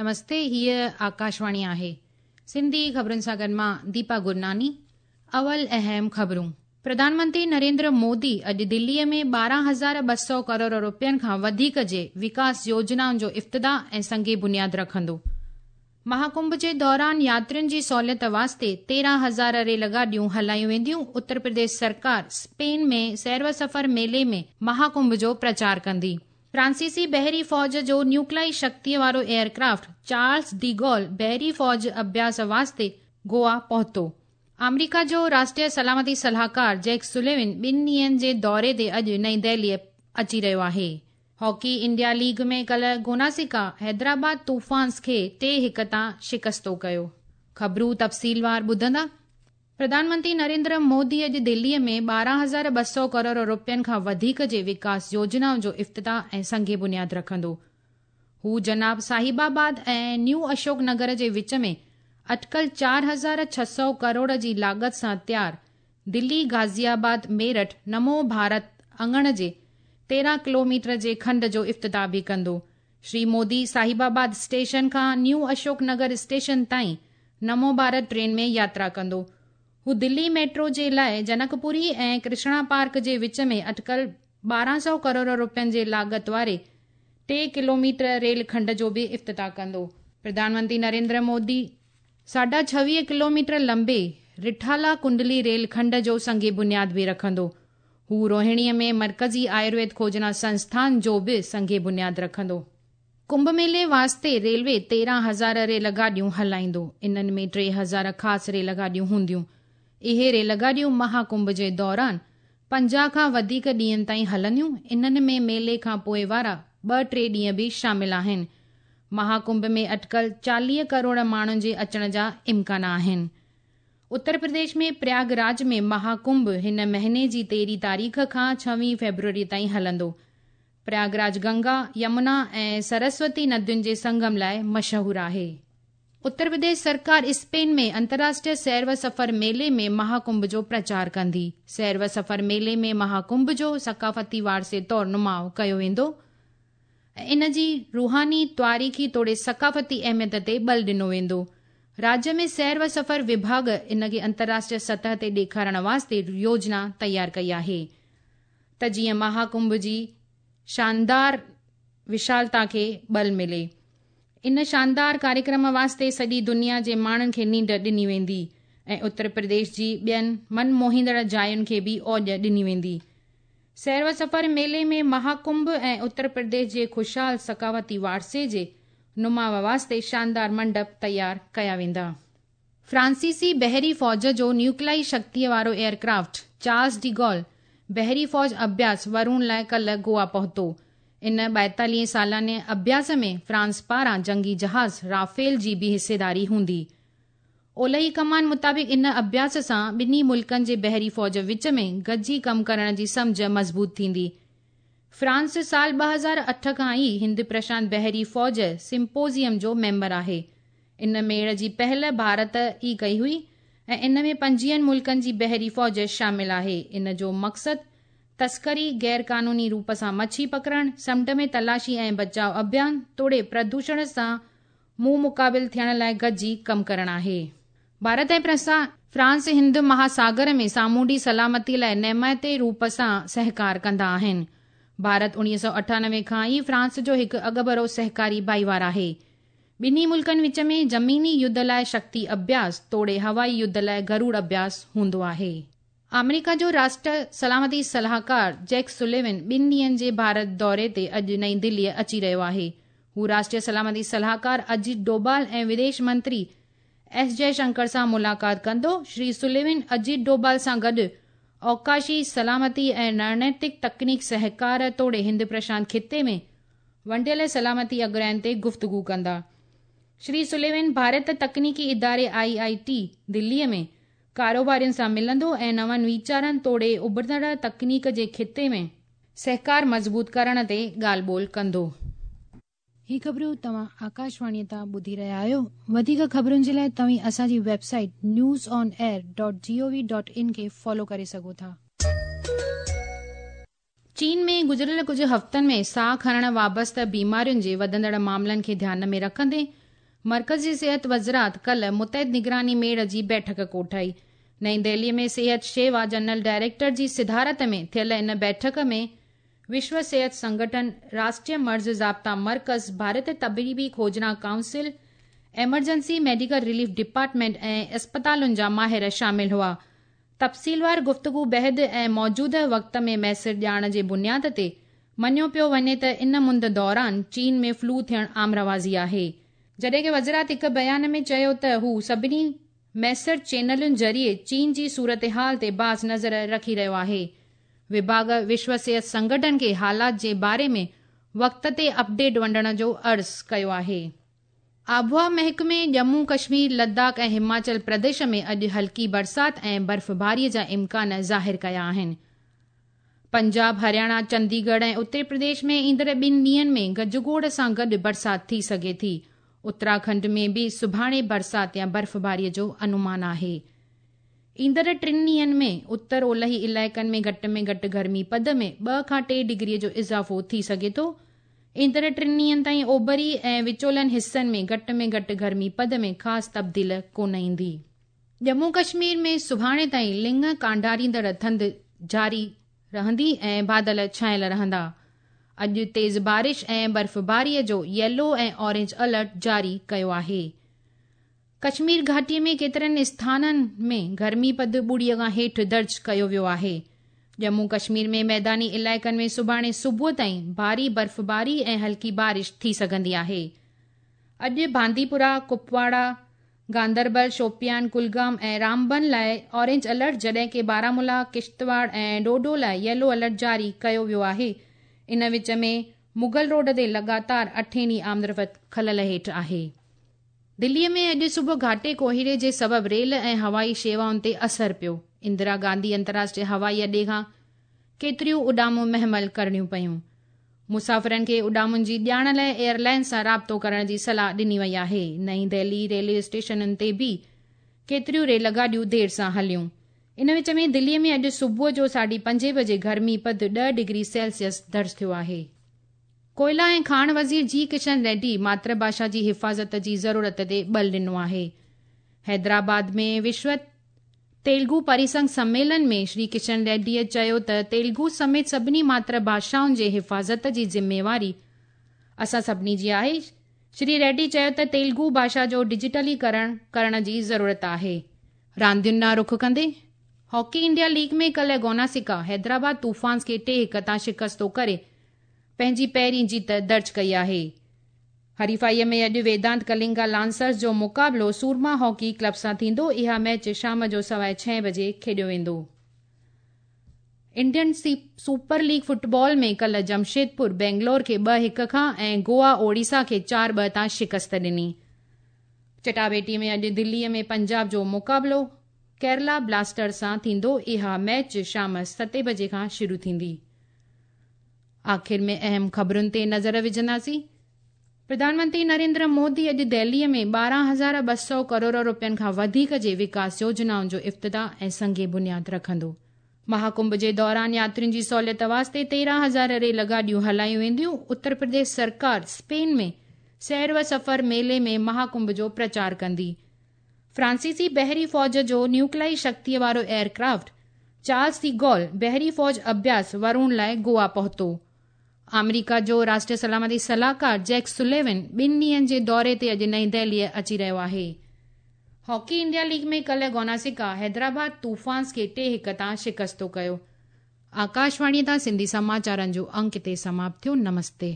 نمستي هيء آڪاشواڻي آهي. سنڌي خبرن سان گڏ مان ديپا گرناني. اول اهم خبرون. پرڌان منتري نريندر مودي اڄ دليء ۾ 12,200 ڪروڙ روپين کان وڌيڪ جي وڪاس يوجنائن جو افتتاح ۽ سنگ بنياد رکندو. مهاڪنڀ جي دوران ياترين جي سهوليت واسطي 13,000 ريل گاڏيون هلايون وينديون. اتر پرديش سرڪار اسپين ۾ سير و سفر ميلي ۾ مهاڪنڀ جو پرچار ڪندي. فرانسيسي بحري فوج جو نيوڪلائي شڪتيء وارو air craft Charles de Gaulle بحري فوج اڀياس واسطي گوا پهتو. آمريڪا جو راشٽريه سلامتي صلاحڪار جيڪ سليون ٻن ڏينهن جي دوري تي اڄ نئين دهليء اچي رهيو آهي. هاڪي انڊيا ليگ ۾ ڪلهه گوناسيڪا حيدرآباد طوفانز کي ٽي هڪ تان شڪستو ڪيو. خبرون تفصيلوار ٻڌندا. پرڌان منتري نريندر مودي اڄ دليء ۾ 12,200 ڪروڙ روپين کان وڌيڪ جي وڪاس يوجنائن جو افتتاح ۽ سنگ بنياد رکندو. هو جناب صاحب آباد ۽ نيو اشوڪ نگر جي وچ ۾ اٽڪل 4600 ڪروڙ جي لاڳت سان تيار دلي غازي آباد ميرٺ نمو ڀارت اڱڻ جي 13 ڪلوميٽر جي کنڊ جو افتتاح به ڪندو. شري مودي صاحب آباد اسٽيشن کان نيو اشوڪ نگر اسٽيشن تائين نمو ڀارت ٽرين ۾ ياترا ڪندو. هو دلي ميٽرو جي لاء جنڪپوري ۽ ڪرشڻا پارڪ جي وچ ۾ اٽڪل 1200 ڪروڙ روپين جي لاڳت واري ٽي ڪلوميٽر ريل کنڊ جو به افتتاح ڪندو. پرڌان منتري نريندر مودي ساڍا 26 ڪلوميٽر لنبي رٺالا ڪنڊلي ريل کنڊ جو سنگ بنياد به رکندو. هو روهڻيء ۾ مرڪزي آيورويد کوجنا سنسٿان جو به سنگ بنياد رکندو. ڪنڀ ميلي واسطي ريلوي 13,000 ريل گاڏيون هلائيندو. انهن ۾ 3,000 خاص ريل گاڏيون هونديون. اهي ريل گاڏيون مها ڪنڀ جي دوران 50 کان وڌيڪ ڏينهن تائين هلنديون. انهن ۾ ميلي کان پوء وارا ٻه ٽي ڏينهن به شامل آهن. مها ڪنڀ ۾ اٽڪل 40 ڪروڙ ماڻهن جي اچڻ جا امڪان آهن. اتر پرديش ۾ پرياگ راج ۾ مها ڪنڀ هن مهيني جي 13 تاريخ کان 26 فيبروري تائين هلندو. پرياگ راج گنگا، يمنا ۽ سرسوتي ندين جي سنگم لاء مشهور آهي. اتر پرديش سرڪار اسپين ۾ انترراشٽريه سير و سفر ميلي ۾ مها ڪنڀ جو پرچار ڪندي. سير و سفر ميلي ۾ مها ڪنڀ جو ثقافتي وارثي طور نماء ڪيو ويندو ۽ ان جي روحاني، تواريخي توڙي ثقافتي اهميت تي ٻل ڏنو ويندو. راجيه ۾ سير و سفر وڀاڳ ان کي انترراشٽريه سطح تي ڏيکارڻ واسطي يوجنا تيار ڪئي آهي. ته جيئن مها ڪنڀ جي شاندار وشالتا کي ٻل ملي. ان شاندار ڪاريڪرم واسطي سڄي دنيا جي ماڻهن کي نينڍ ڏني ويندي ۽ اتر پرديش جي ٻين من موهيندڙ جاين کي به اوڄ ڏني ويندي. سير و سفر ميلي ۾ مها ڪنڀ ۽ اتر پرديش جي خوشحال ثقافتي وارثي جي نماء واسطي شاندار منڊپ تيار ڪيا ويندا. فرانسيسي بحري فوج جو نيوڪلائي شڪتيء وارو air craft Charles de Gaulle بحري فوج اڀياس ورون لاء ڪلهه گوا پهتو. ان ٻائيتاليهين سالاني اڀياس ۾ فرانس پاران جنگي جهاز رافيل جي به حصيداري هوندي. اولهي ڪمان مطابق ان اڀياس سان ٻنهي ملڪن جي بحري فوج وچ ۾ گڏجي ڪم ڪرڻ جي سمجهه مضبوط ٿيندي. فرانس سال 2008 کان ئي هند پرشانت بحري فوج سمپوزيم جو ميمبر آهي. ان ميڙ جي پهل ڀارت ئي ڪئي هئي ۽ ان ۾ پنجويهن ملڪن جي بحري فوج شامل آهي. ان جو مقصد تسڪري، غير قانوني روپ سان مڇي پڪڙڻ، سمنڊ ۾ تلاشي ۽ بچاء اڀيان توڙي پردوشڻ سان منهن مقابل ٿيڻ لاء گڏجي ڪم ڪرڻ آهي. ڀارت ۽ فرانس هند مهاساگر ۾ سامونڊي سلامتي لاء نيمائتي روپ سان سهڪار ڪندا آهن. ڀارت 1998 کان ئي فرانس جو هڪ اڳڀرو سهڪاري ڀائيوار آهي. ٻنهي ملڪن وچ ۾ زميني يڌ لاء شڪتي اڀياس توڙي هوائي يڌ لاء گروڙ اڀياس هوندو آهي. آمريڪا جو راشٽر سلامتي صلاحڪار جيڪ سليون ٻن ڏينهن جي ڀارت دوري تي اڄ نئين دهليء اچي رهيو آهي. هو راشٽريه سلامتي صلاحڪار اجيت ڊوڀال ۽ وديش منتري ايس جئه شنڪر سان ملاقات ڪندو. شري سليون اجيت ڊوڀال سان گڏ اوقاشي سلامتي ۽ رڻنيتڪ تڪنيڪ سهڪار توڙي هند پرشانت خطي ۾ ونڊيل سلامتي اڳراين تي گفتگو ڪندا. شري سليون ڀارت تڪنيڪي اداري آء آء ٽي دلي ۾ ڪاروبارين سان ملندو ۽ نون ويچارن توڙي اڀرندڙ تڪنيڪ جي خطي ۾ سهڪار مضبوط ڪرڻ تي ڳالهه ٻولهه ڪندو. هي خبرون توهان آڪاشواڻي تان ٻڌي رهيا آهيو. وڌيڪ خبرن جي لاء توهين اسان جي website news on air dot G O V dot in کي فالو ڪري سگهو ٿا. چين ۾ گذريل ڪجهه هفتن ۾ ساهه کڻڻ وابسته بيمارين جي وڌندڙ معاملن کي ڌيان ۾ رکندي مرڪزي صحت وزارت ڪالهه متحد نگراني ميڙ جي بيٺڪ ڪوٺائي. نئين دهلي ۾ صحت شيوا جنرل ڊائريڪٽر جي صدارت ۾ ٿيل ان بيٺڪ ۾ وشو صحت سنگٺن، راشٽريه مرض ضابطا مرڪز، ڀارتيه طبيبي کوجنا council, emergency medical relief department ۽ اسپتالن جا ماهر شامل هئا. تفصيلوار گفتگو بعد ۽ موجوده وقت ۾ ميسر ڄاڻ جي بنياد تي مڃيو پيو وڃي ته ان مند دوران چين ۾ فلو ٿيڻ عام رواجي آهي. جڏهن ڪه وزارت هڪ بيان ۾ چيو ته هو سڀني ميسر چينلن ذريعي چين جي صورتحال تي باز نظر رکي رهيو آهي. وڀاڳ وشو صحت سنگٺن کي حالات جي باري ۾ وقت تي اپڊيٽ ونڊڻ جو عرض ڪيو آهي. آبهوا محڪمي ڄمون ڪشمير، لداخ ۽ هماچل پرديش ۾ اڄ هلڪي برسات ۽ برفباري جا امڪان ظاهر ڪيا آهن. پنجاب، هرياڻا، چنديڳڙهه ۽ اتر پرديش ۾ ايندڙ ٻن ڏينهن ۾ گجگوڙ سان گڏ برسات ٿي سگهي ٿي. اتراکنڊ ۾ به سڀاڻي برسات يا برفباري جو انومان آهي. ايندڙ ٽن ڏينهن ۾ اتر اولهي علائقن ۾ گهٽ ۾ گهٽ گرمي پد ۾ 2 کان 3 ڊگري جو اضافو ٿي سگهي ٿو. ايندڙ ٽن ڏينهن تائين اوڀري ۽ وچولن حصن ۾ گهٽ ۾ گهٽ گرمي پد ۾ خاص تبديل ڪونه ايندي. ڄمون ڪشمير ۾ سڀاڻي تائين لڱ ڪانڊاريندڙ ٿڌ جاري رهندي ۽ بادل ڇانيل رهندا. اڄ تيز بارش ۽ برفباري جو ييلو ۽ اورينج الرٽ جاري ڪيو آهي. ڪشمير گهاٽي ۾ ڪيترن اسٿانن ۾ گرمي پد ٻڙيء کان هيٺ درج ڪيو ويو آهي. ڄمون ڪشمير ۾ ميداني علائقن ۾ سڀاڻي صبح تائين ڀاري برفباري ۽ هلڪي بارش ٿي سگهندي آهي. اڄ بانديپورا، ڪپواڙا، گاندربل، شوپيان، ڪلگام ۽ رامبن لاء اورينج الرٽ جڏهن ڪي بارامولا، ڪشتواڙ ۽ ڊوڊو لاء ييلو الرٽ جاري ڪيو ويو آهي. ان وچ ۾ مغل روڊ تي لڳاتار اٺين ڏينهن آمدرفت خلل هيٺ آهي. دليء ۾ اڄ صبح گهاٽي ڪوهيڙي جي سبب ريل ۽ هوائي شيوائن تي اثر پيو. اندرا گانڌي انترراشٽريه هوائي اڏي کان ڪيتريون اڏامون مهمل ڪرڻيون پيون. مسافرن کي اڏامن جي ڄاڻ لاء ايئر لائنز سان رابطو ڪرڻ جي صلاح ڏني وئي آهي. نئين دهلي ريلوي اسٽيشنن تي به ڪيتريون ريل گاڏيون دير سان هليون. ان وچ ۾ دليء ۾ اڄ صبح جو ساڍي پنجين بجي گرمي پد 10 ڊگري سيلسيس درج ٿيو آهي. ڪوئلا ۽ کاڻ وزير جي ڪشن ريڊي ماتر ڀاشا جي حفاظت جي ضرورت تي ٻل ڏنو آهي. حيدرآباد ۾ وشو تيلگو پريسنگ سميلن ۾ شري ڪشن ريڊيء چيو ته تيلگو سميت سڀني ماتر ڀاشائن جي حفاظت جي ذميواري اسان سڀني جي آهي. شري ريڊي چيو ته تيلگو ڀاشا جو ڊجيٽلي ڪرڻ ڪرڻ جي ضرورت آهي. راندين ڏانهن رخ ڪندي هاڪي انڊيا ليگ ۾ ڪلهه گوناسڪا حيدرآباد طوفانز کي 3-1 تان شڪستو ڪري پنهنجي پهرين جيت درج ڪئي آهي. حريفائيء ۾ اڄ ويدانت ڪلنگا لانسرز جو مقابلو سورما هاڪي ڪلب سان ٿيندو، اها ميچ شام جو سواء ڇهين بجي کيڏيو ويندو. انڊين سپر ليگ فٽبال ۾ ڪلهه جمشيدپور بينگلور کي 2-1 کان ۽ گوا اوڙيسا کي 4-2 تان شڪست ڏني. چٽاڀيٽي ۾ اڄ دليء ۾ پنجاب جو مقابلو ڪيرلا بلاسٽرز سان ٿيندو، اها ميچ شام ستين بجي کان شروع ٿيندي. آخر ۾ اهم خبرن تي نظر وجهنداسين. پرڌان منتري نريندر مودي اڄ دهلي ۾ 12,200 ڪروڙ روپين کان وڌيڪ جي وڪاس يوجنائن جو افتتاح ۽ سنگ بنياد رکندو. مهاڪنڀ جي دوران ياترين جي سهوليت واسطي 13,000 ريل گاڏيون هلايون وينديون. اتر پرديش سرڪار اسپين ۾ سير و سفر ميلي ۾ مهاڪنڀ جو پرچار ڪندي. فرانسيسي بحري فوج جو نيوڪلائي شڪتيء وارو ايئر ڪرافٽ چارلس the گول بحري فوج اڀياس ورون لاء گوا پهتو. آمريڪا جو راشٽريه سلامتي صلاحڪار جيڪ سليون ٻن ڏينهن جي دوري تي اڄ نئين دهليء اچي رهيو آهي. هاڪي انڊيا ليگ ۾ ڪلهه گوناسڪا حيدرآباد طوفانز کي 3-1 تان شڪستو ڪيو. آڪاشواڻيء تان سنڌي سماچارن جو انڪ هتي سماپت ٿيو. نمستي.